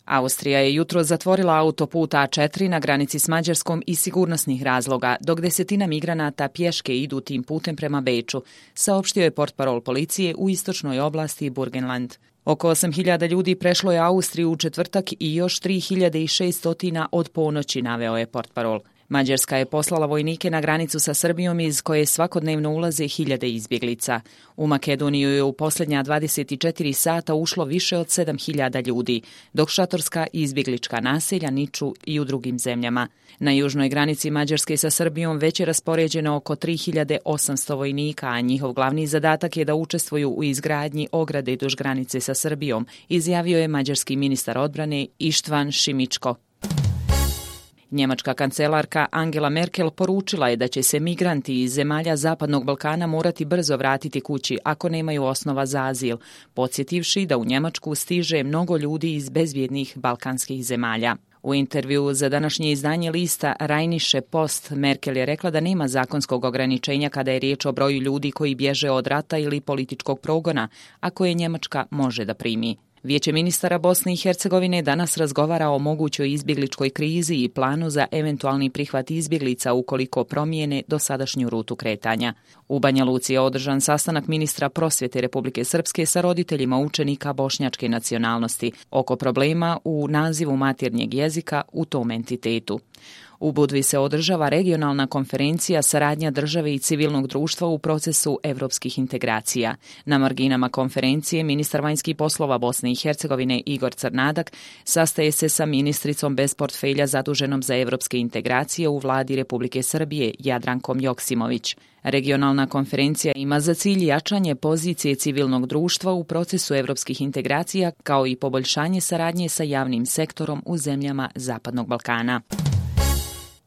Austrija je jutros zatvorila autoput A4 na granici s Mađarskom iz sigurnosnih razloga, dok desetina migranata pješke idu tim putem prema Beču, saopštio je portparol policije u istočnoj oblasti Burgenland. Oko 8.000 ljudi prešlo je Austriju u četvrtak i još 3.600 od ponoći, naveo je portparol. Mađarska je poslala vojnike na granicu sa Srbijom iz koje svakodnevno ulaze hiljade izbjeglica. U Makedoniju je u posljednja 24 sata ušlo više od 7.000 ljudi, dok šatorska i izbjeglička naselja niču i u drugim zemljama. Na južnoj granici Mađarske sa Srbijom već je raspoređeno oko 3.800 vojnika, a njihov glavni zadatak je da učestvuju u izgradnji ograde duž granice sa Srbijom, izjavio je mađarski ministar odbrane Ištvan Šimičko. Njemačka kancelarka Angela Merkel poručila je da će se migranti iz zemalja Zapadnog Balkana morati brzo vratiti kući ako nemaju osnova za azil, podsjetivši da u Njemačku stiže mnogo ljudi iz bezvjednih balkanskih zemalja. U intervjuu za današnje izdanje lista Rheinische Post Merkel je rekla da nema zakonskog ograničenja kada je riječ o broju ljudi koji bježe od rata ili političkog progona, a koje Njemačka može da primi. Vijeće ministara Bosne i Hercegovine danas razgovara o mogućoj izbjegličkoj krizi i planu za eventualni prihvat izbjeglica ukoliko promijene dosadašnju rutu kretanja. U Banja Luci je održan sastanak ministra prosvjete Republike Srpske sa roditeljima učenika bošnjačke nacionalnosti oko problema u nazivu maternjeg jezika u tom entitetu. U Budvi se održava regionalna konferencija saradnja države i civilnog društva u procesu evropskih integracija. Na marginama konferencije ministar vanjskih poslova Bosne i Hercegovine Igor Crnadak sastaje se sa ministricom bez portfelja zaduženom za evropske integracije u vladi Republike Srbije Jadrankom Joksimović. Regionalna konferencija ima za cilj jačanje pozicije civilnog društva u procesu evropskih integracija kao i poboljšanje saradnje sa javnim sektorom u zemljama Zapadnog Balkana.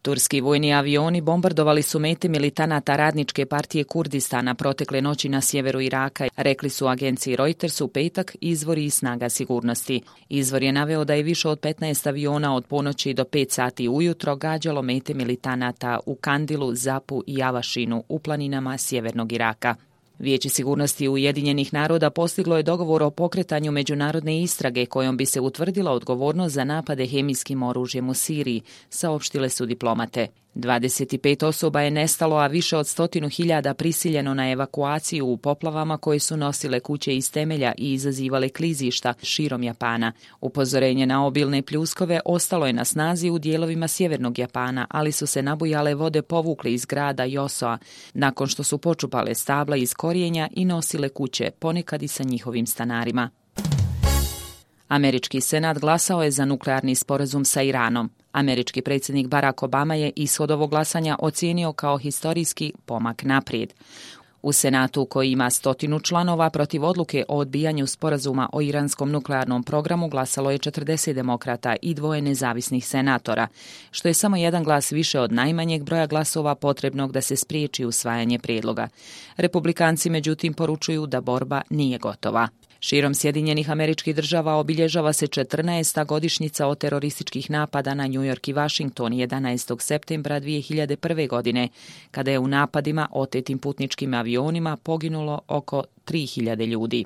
Turski vojni avioni bombardovali su mete militanata Radničke partije Kurdistana protekle noći na sjeveru Iraka, rekli su agenciji Reuters u petak izvori i snaga sigurnosti. Izvor je naveo da je više od 15 aviona od ponoći do 5 sati ujutro gađalo mete militanata u Kandilu, Zapu i Avašinu u planinama sjevernog Iraka. Vijeće sigurnosti Ujedinjenih naroda postiglo je dogovor o pokretanju međunarodne istrage kojom bi se utvrdila odgovornost za napade hemijskim oružjem u Siriji, saopštile su diplomate. 25 osoba je nestalo, a više od 100.000 prisiljeno na evakuaciju u poplavama koje su nosile kuće iz temelja i izazivale klizišta širom Japana. Upozorenje na obilne pljuskove ostalo je na snazi u dijelovima sjevernog Japana, ali su se nabujale vode povukle iz grada Josoa nakon što su počupale stabla iz korijenja i nosile kuće, ponekad i sa njihovim stanarima. Američki senat glasao je za nuklearni sporazum sa Iranom. Američki predsjednik Barack Obama je ishod ovog glasanja ocijenio kao historijski pomak naprijed. U Senatu, koji ima 100 članova, protiv odluke o odbijanju sporazuma o iranskom nuklearnom programu glasalo je 40 demokrata i 2 nezavisnih senatora, što je samo jedan glas više od najmanjeg broja glasova potrebnog da se spriječi usvajanje prijedloga. Republikanci međutim poručuju da borba nije gotova. Širom Sjedinjenih Američkih Država obilježava se 14. godišnjica od terorističkih napada na New York i Washington 11. septembra 2001. godine, kada je u napadima otetim putničkim avionima poginulo oko 3.000 ljudi.